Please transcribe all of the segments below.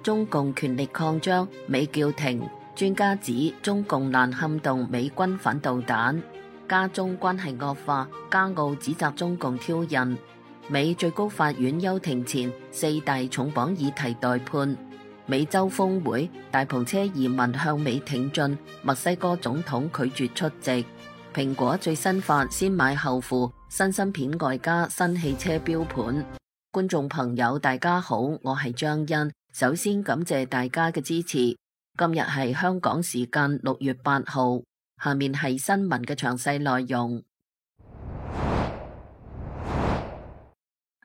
中共權力擴張，美叫停。專家指中共難撼動美軍反導彈。加中關係惡化，加澳指責中共挑釁。美最高法院休庭前4大重磅議題待判。美洲峰會，大篷車移民向美挺進，墨西哥總統拒絕出席。蘋果最新發先買後付，新芯片外加新汽車標盤。觀眾朋友大家好，我係張欣，首先感謝大家嘅支持。今日係香港時間6月8號，下面係新聞嘅詳細內容。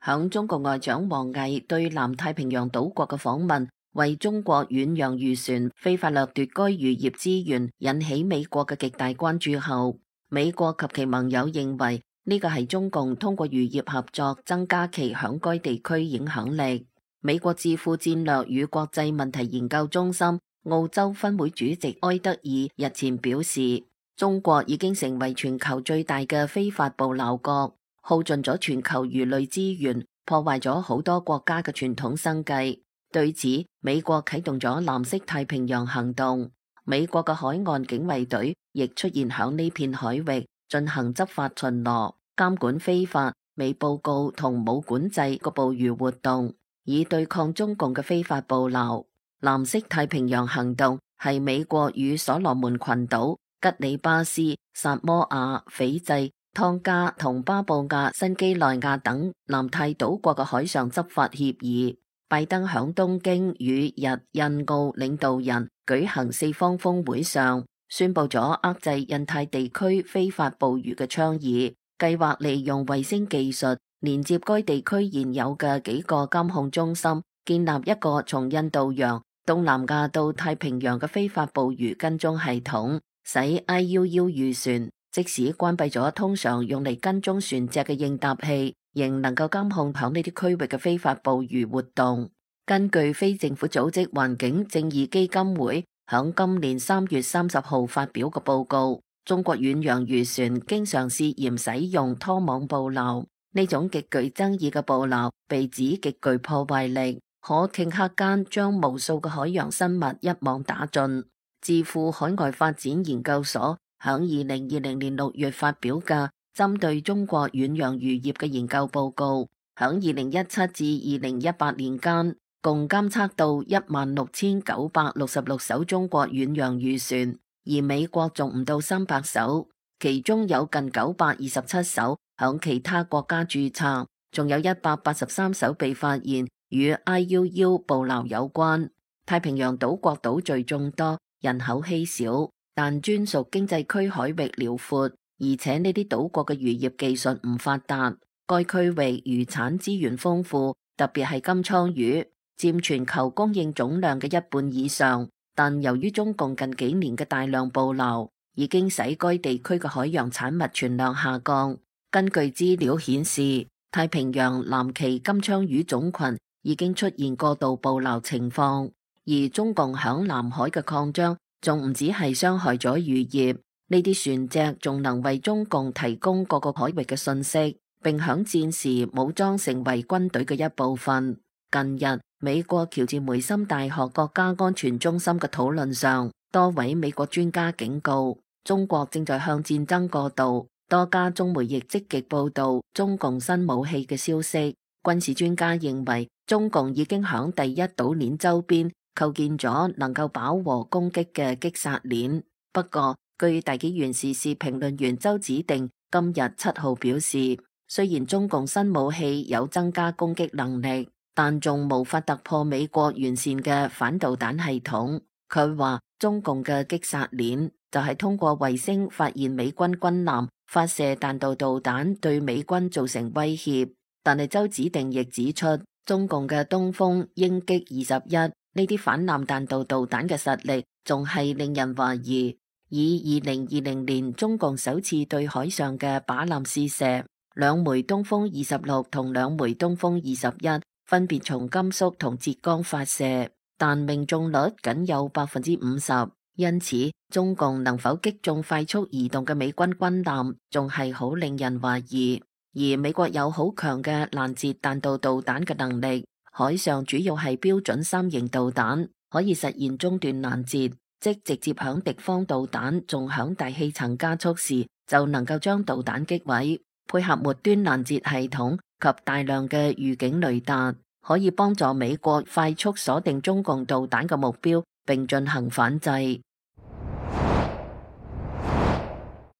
響中國外長王毅對南太平洋島國嘅訪問，為中國遠洋漁船非法掠奪該漁業資源引起美國嘅極大關注後，美國及其盟友認為呢個係中共通過漁業合作增加其響該地區影響力。美國智庫戰略與國際問題研究中心澳洲分會主席埃德爾日前表示，中國已經成為全球最大嘅非法捕撈國，耗盡咗全球魚類資源，破壞咗好多國家嘅傳統生計。對此，美國啟動咗藍色太平洋行動，美國嘅海岸警衛隊亦出現響呢片海域進行執法巡邏，監管非法、未報告同冇管制嘅捕魚活動，以對抗中共嘅非法捕撈。藍色太平洋行動係美國與所羅門群島、吉里巴斯、薩摩亞、斐濟、湯加同巴布亞新幾內亞等南太島國嘅海上執法協議。拜登響東京與日印澳領導人舉行4方峰會上，宣布咗遏制印太地區非法捕魚嘅倡議，計劃利用衛星技術連接該地區現有嘅幾個監控中心，建立一個從印度洋、東南亞到太平洋嘅非法捕魚跟蹤系統，使 IUU 漁船即使關閉咗通常用嚟跟蹤船隻嘅應答器，仍能夠監控響呢啲區域嘅非法捕魚活動。根據非政府組織環境正義基金會響今年3月30號發表嘅報告，中國遠洋漁船經常涉嫌使用拖網捕撈，呢種極具爭議嘅捕撈被指極具破壞力，可頃刻間將無數嘅海洋生物一網打盡。智庫海外發展研究所響2020年6月發表嘅針對中國遠洋漁業嘅研究報告，響2017至2018年間，共監測到16,966艘中國遠洋漁船，而美國仲唔到300艘，其中有近927艘響其他國家註冊，仲有183艘被發現與 IUU 捕撈有關。太平洋島國島嶼眾多，人口稀少，但專屬經濟區海域遼闊，而且呢啲島國嘅漁業技術唔發達。該區域漁產資源豐富，特別係金槍魚，佔全球供應總量嘅1半以上。但由於中共近幾年嘅大量捕撈，已經使該地區嘅海洋產物存量下降。根據資料顯示，太平洋藍鰭金槍魚種群已經出現過度捕撈情況，而中共響南海嘅擴張仲唔止係傷害咗漁業，呢啲船隻仲能為中共提供各個海域嘅信息，並響戰時武裝成為軍隊嘅一部分。近日，美國喬治梅森大學國家安全中心嘅討論上，多位美國專家警告，中國正在向戰爭過渡。多家中媒亦積極報道中共新武器嘅消息。軍事專家認為，中共已經響第一島鏈周邊構建咗能夠飽和攻擊嘅擊殺鏈。不過，據大紀元時事評論員周子定今日7號表示，雖然中共新武器有增加攻擊能力，但仲無法突破美國完善嘅反導彈系統。佢話中共嘅擊殺鏈就係通過衛星發現美軍軍艦發射彈道導彈對美軍造成威脅。但係周子定亦指出，中共嘅東風鷹擊21呢啲反艦彈道導彈嘅實力仲係令人懷疑。以2020年中共首次對海上嘅靶艦試射，兩枚東風26同兩枚東風21分別從甘肅同浙江發射，但命中率僅有50%。因此，中共能否擊中快速移動嘅美軍軍艦，仲係好令人懷疑。而美國有好強嘅攔截彈道導彈嘅能力，海上主要係標準3型導彈，可以實現中斷攔截，即直接響敵方導彈仲響大氣層加速時就能夠將導彈擊毀。配合末端攔截系統及大量嘅預警雷達，可以幫助美國快速鎖定中共導彈嘅目標，並進行反制。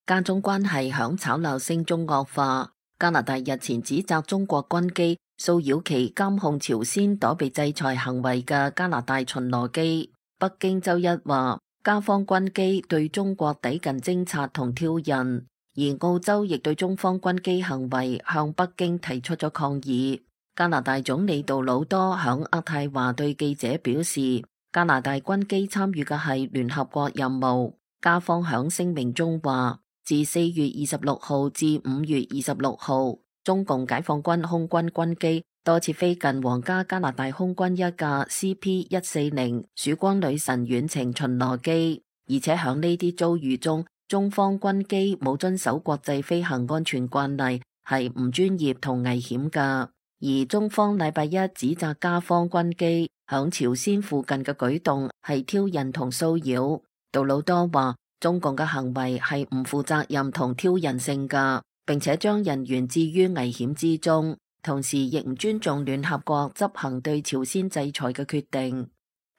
加中關係響吵鬧聲中惡化。加拿大日前指責中國軍機騷擾其監控朝鮮躲避制裁行為嘅加拿大巡邏機。北京周一話，加方軍機對中國抵近偵察同挑釁，而澳洲亦對中方軍機行為向北京提出咗抗議。加拿大總理杜魯多響渥太華對記者表示，加拿大軍機參與嘅係聯合國任務。加方響聲明中話，自4月26號至5月26號，中共解放軍空軍軍機多次飛近皇家加拿大空軍一架 CP-140 曙光女神遠程巡邏機，而且響呢啲遭遇中，中方軍機冇遵守國際飛行安全慣例，係唔專業同危險噶。而中方禮拜一指責加方軍機響朝鮮附近嘅舉動係挑釁同騷擾。杜魯多話，中共嘅行為係唔負責任同挑釁性噶，並且將人員置於危險之中，同時亦唔尊重聯合國執行對朝鮮制裁嘅決定。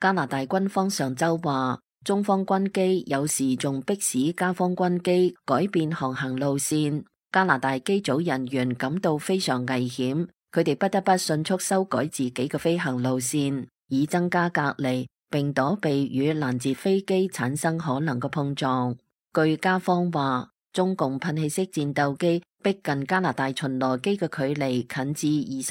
加拿大軍方上周話，中方軍機有時仲迫使加方軍機改變航行路線，加拿大機組人員感到非常危險，佢哋不得不迅速修改自己嘅飛行路線，以增加隔離，並躲避與攔截飛機產生可能嘅碰撞。據加方話，中共噴氣式戰鬥機逼近加拿大巡邏機嘅距離近至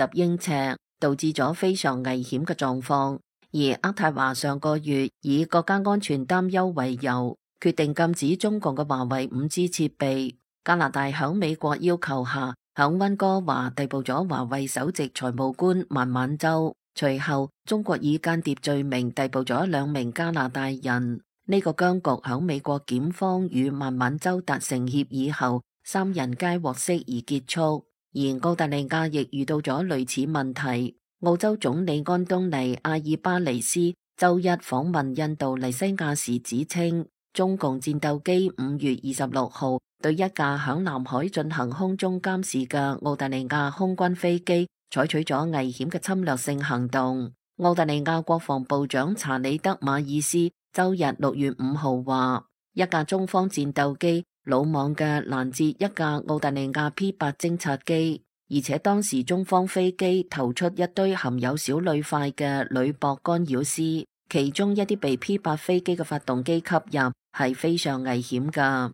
20英尺，導致咗非常危險嘅狀況。而渥太華上個月以國家安全擔憂為由，決定禁止中共嘅華為5G 設備。加拿大響美國要求下，響溫哥華逮捕咗華為首席財務官孟晚舟。隨後，中國以間諜罪名逮捕咗2名加拿大人。呢個僵局響美國檢方與孟晚舟達成協議後，3人皆獲釋而結束。而澳大利亞亦遇到咗類似問題。澳洲總理安東尼阿爾巴尼斯周一訪問印度尼西亞時指稱，中共戰鬥機5月26號對一架響南海進行空中監視嘅澳大利亞空軍飛機採取咗危險嘅侵略性行動。澳大利亞國防部長查理德馬爾斯周日6月5號話，一架中方戰鬥機魯莽嘅攔截一架澳大利亞 P8 偵察機，而且當時中方飛機投出一堆含有小鋁塊嘅鋁箔干擾絲，其中一啲被 P8 飛機嘅發動機吸入，係非常危險噶。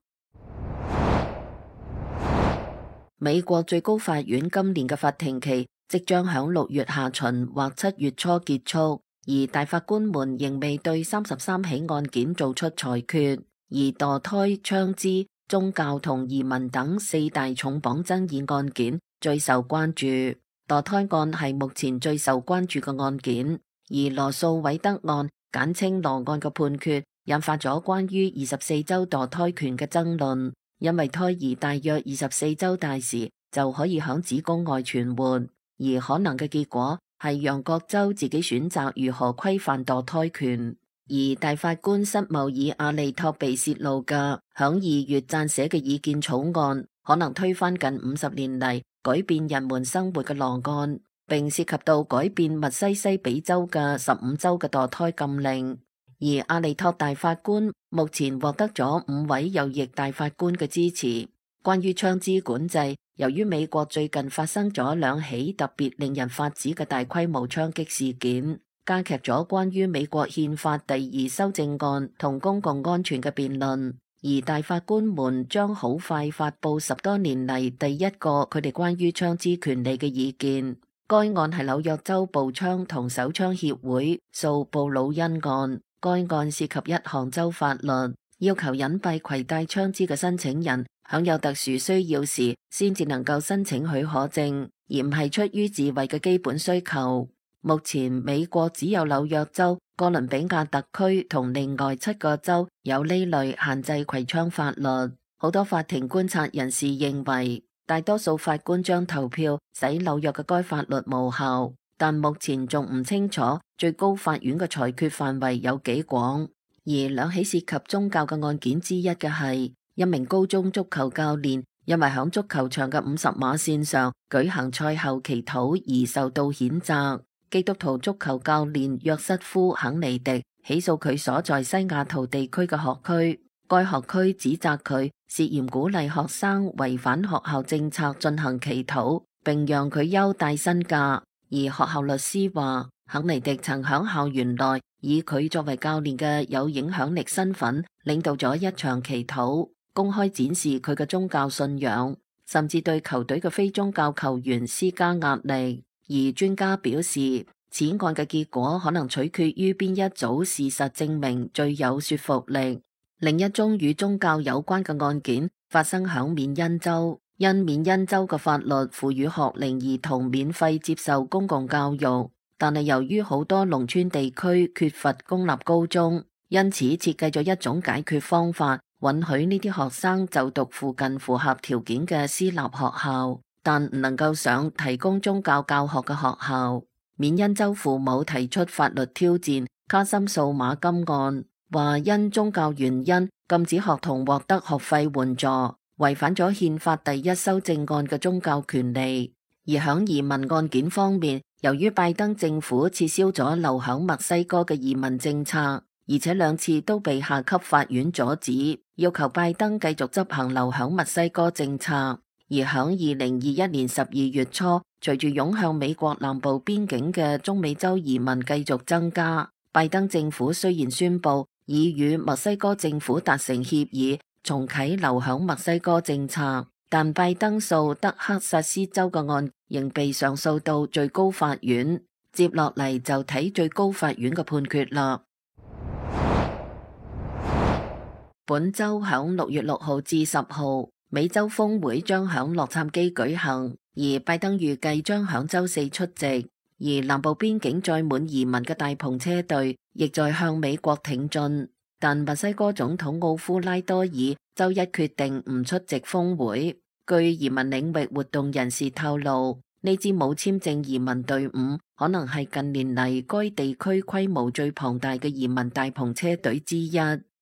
美國最高法院今年嘅法庭期即將響6月下旬或7月初結束，而大法官們仍未對33起案件做出裁決。而墮胎、槍支、宗教同移民等4大重磅爭議案件最受關注。墮胎案係目前最受關注嘅案件，而羅訴韋德案簡稱羅案嘅判決引發咗關於24週墮胎權嘅爭論，因為胎兒大約24週大時就可以響子宮外存活，而可能嘅結果係讓各州自己選擇如何規範墮胎權。而大法官塞繆爾阿利托被泄露嘅響2月撰寫嘅意見草案，可能推翻近50年嚟改變人們生活嘅羅案，並涉及到改變密西西比州嘅15週嘅墮胎禁令。而阿利托大法官目前獲得咗5位右翼大法官嘅支持。關於槍支管制，由於美國最近發生咗2起特別令人髮指嘅大規模槍擊事件，加劇咗關於美國憲法第2修正案同公共安全嘅辯論。而大法官們將好快發佈10多年嚟第一個佢哋關於槍支權利嘅意見。該案係紐約州步槍同手槍協會訴布魯恩案。該案涉及一項州法律，要求隱蔽攜帶槍支嘅申請人享有特殊需要時先至能夠申請許可證，而唔係出於自衛嘅基本需求。目前美國只有紐約州、哥倫比亞特區同另外7個州有呢類限制攜槍法律。好多法庭觀察人士認為，大多數法官將投票使紐約嘅該法律無效，但目前仲唔清楚最高法院嘅裁決範圍有幾廣。而兩起涉及宗教嘅案件之一嘅係一名高中足球教練因為響足球場嘅50碼線上舉行賽後祈禱而受到譴責。基督徒足球教練約瑟夫·肯尼迪起訴佢所在西雅圖地區嘅學區，該學區指責佢涉嫌鼓勵學生違反學校政策進行祈禱，並讓佢休帶薪假。而學校律師話，肯尼迪曾響校園內以佢作為教練嘅有影響力身份，領導咗一場祈禱，公開展示佢嘅宗教信仰，甚至對球隊嘅非宗教球員施加壓力。而專家表示，此案嘅結果可能取決於邊一組事實證明最有說服力。另一宗與宗教有關嘅案件發生響緬因州，因緬因州嘅法律賦予學齡兒童免費接受公共教育，但係由於好多農村地區缺乏公立高中，因此設計咗一種解決方法，允許呢啲學生就讀附近符合條件嘅私立學校，但唔能夠上提供宗教教學嘅學校。緬因州父母提出法律挑戰卡森數碼金案，話因宗教原因禁止學童獲得學費援助，違反咗憲法第1修正案嘅宗教權利。而響移民案件方面，由於拜登政府撤銷咗留響墨西哥嘅移民政策，而且2次都被下級法院阻止，要求拜登繼續執行留響墨西哥政策。而響2021年12月初，隨住湧向美國南部邊境嘅中美洲移民繼續增加，拜登政府雖然宣布已與墨西哥政府達成協議，重啟留響墨西哥政策，但拜登訴德克薩斯州嘅案仍被上訴到最高法院。接落嚟就睇最高法院嘅判決啦。本周響6月6號至10號，美洲峰會將響洛杉磯舉行，而拜登預計將響周四出席。而南部邊境載滿移民嘅大篷車隊亦在向美國挺進，但墨西哥總統奧夫拉多爾周一決定唔出席峰會。據移民領域活動人士透露，呢支冇簽證移民隊伍可能係近年嚟該地區規模最龐大嘅移民大篷車隊之一。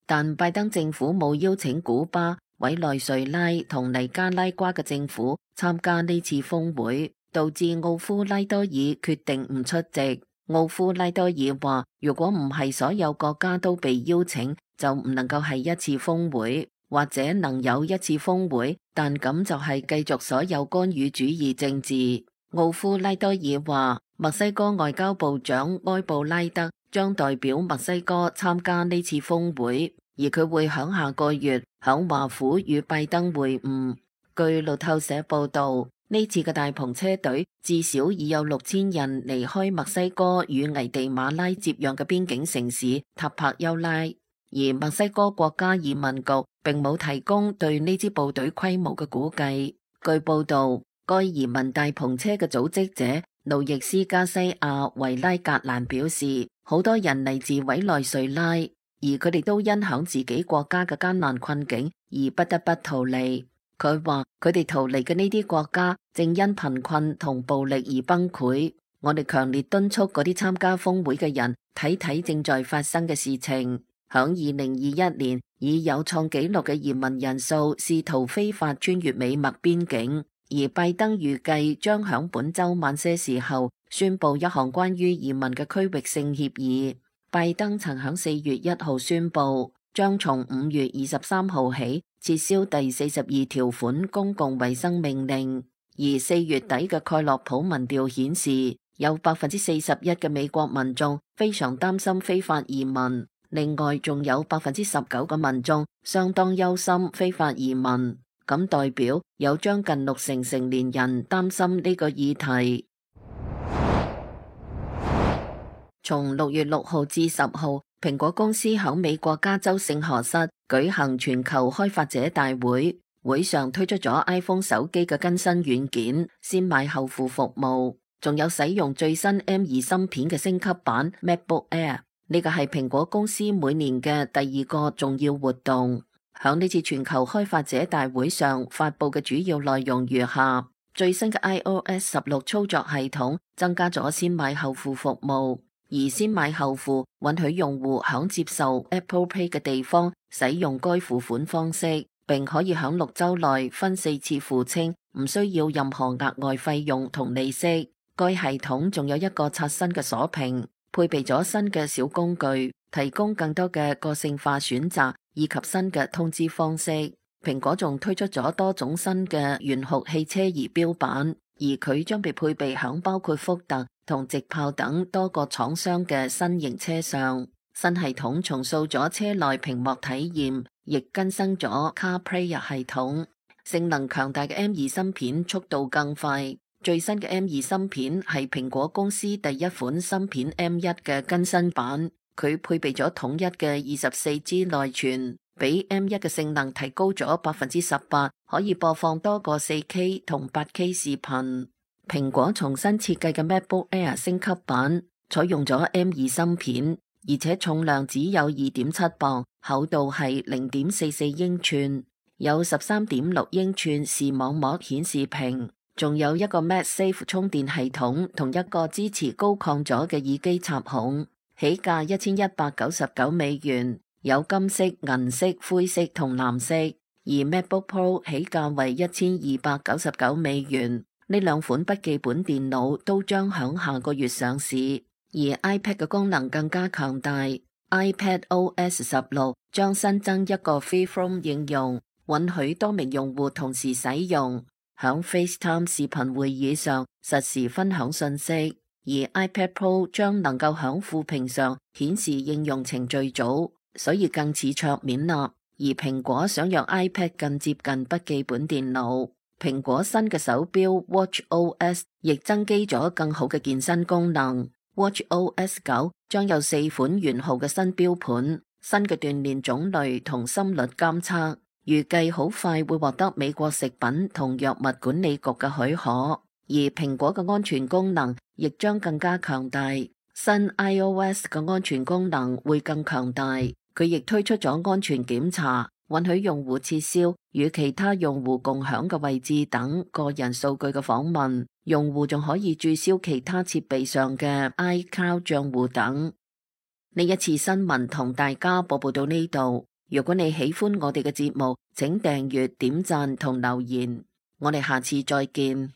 但拜登政府冇邀請古巴、委內瑞拉同尼加拉瓜嘅政府參加呢次峰會，導致奧夫拉多爾決定唔出席。奧夫拉多爾話，如果唔係所有國家都被邀請，就唔能夠係一次峰會，或者能有一次峰會，但咁就係繼續所有干預主義政治。奧夫拉多爾話，墨西哥外交部長埃布拉德將代表墨西哥參加呢次峰會，而佢會響下個月響華府與拜登會晤。據路透社報道，呢次嘅大篷車隊至少已有6000人離開墨西哥與危地馬拉接壤嘅邊境城市塔帕丘拉，而墨西哥國家移民局並冇提供對呢支部隊規模嘅估計。據報道，該移民大篷車嘅組織者路易斯加西亞維拉格蘭表示，好多人嚟自委內瑞拉，而佢哋都因響自己國家嘅艱難困境而不得不逃離。佢話佢哋逃離嘅呢啲國家正因貧困同暴力而崩潰。我哋強烈敦促嗰啲參加峰會嘅人睇睇正在發生嘅事情。響2021年，以有創紀錄嘅移民人數試圖非法穿越美墨邊境，而拜登預計將響本周晚些時候宣布一項關於移民嘅區域性協議。拜登曾響4月1號宣布，將從5月23號起撤銷第42條款公共衛生命令。而4月底嘅蓋洛普民調顯示，有41%嘅美國民眾非常擔心非法移民，另外仲有19%嘅民眾相當憂心非法移民，咁代表有將近60%成年人擔心呢個議題。從6月6號至10號，蘋果公司喺美國加州聖何塞舉行全球開發者大會，會上推出咗 iPhone 手機嘅更新軟件，先買後付服務，仲有使用最新 M2 芯片嘅升級版 MacBook Air。呢個係蘋果公司每年嘅第2個重要活動。響呢次全球開發者大會上發佈嘅主要內容如下：最新嘅 iOS 16操作系統增加咗先買後付服務，而先買後付允許用戶響接受 Apple Pay 嘅地方使用該付款方式，並可以響6週內分4次付清，唔需要任何額外費用同利息。該系統仲有一個刷新嘅鎖屏，配備咗新嘅小工具，提供更多嘅個性化選擇以及新嘅通知方式。蘋果仲推出咗多種新嘅懸酷汽車儀表板，而佢將被配備響包括福特同直豹等多個廠商嘅新型車上。新系統重塑咗車內屏幕體驗，亦更新咗 CarPlay 系統。性能強大嘅 M2 芯片速度更快，最新嘅 M2 芯片係蘋果公司第一款芯片 M1 嘅更新版，佢配備咗統一嘅24G 內存，比 M1 嘅性能提高咗18%，可以播放多個 4K 同8K 視頻。蘋果重新設計嘅 MacBook Air 升級版採用咗 M2 芯片，而且重量只有2.7磅，厚度係0.44英寸，有13.6英寸視網膜顯示屏，仲有一個 MagSafe 充電系統同一個支持高抗阻嘅耳機插孔，起價$1199，有金色、銀色、灰色同藍色，而 MacBook Pro 起價為$1299。呢兩款筆記本電腦都將響下個月上市，而 iPad 嘅功能更加強大。iPadOS 16將新增一個 Freeform 應用，允許多名用戶同時使用，響 FaceTime 視頻會議上實時分享信息。而 iPad Pro 將能夠響副屏上顯示應用程序組，所以更似桌面啦。而蘋果想讓 iPad 更接近筆記本電腦，蘋果新嘅手錶 WatchOS 亦增肌咗更好嘅健身功能。WatchOS 9將有4款圓號嘅新錶盤，新嘅鍛煉種類同心率監測，預計好快會獲得美國食品同藥物管理局嘅許可。而蘋果嘅安全功能亦將更加強大，新 iOS 嘅安全功能會更強大。佢亦推出咗安全檢查，允許用戶撤銷與其他用戶共享嘅位置等個人數據嘅訪問，用戶仲可以註銷其他設備上嘅 iCloud 賬戶等。呢一次新聞同大家播報到呢度，如果你喜歡我哋嘅節目，請訂閱、點讚同留言，我哋下次再見。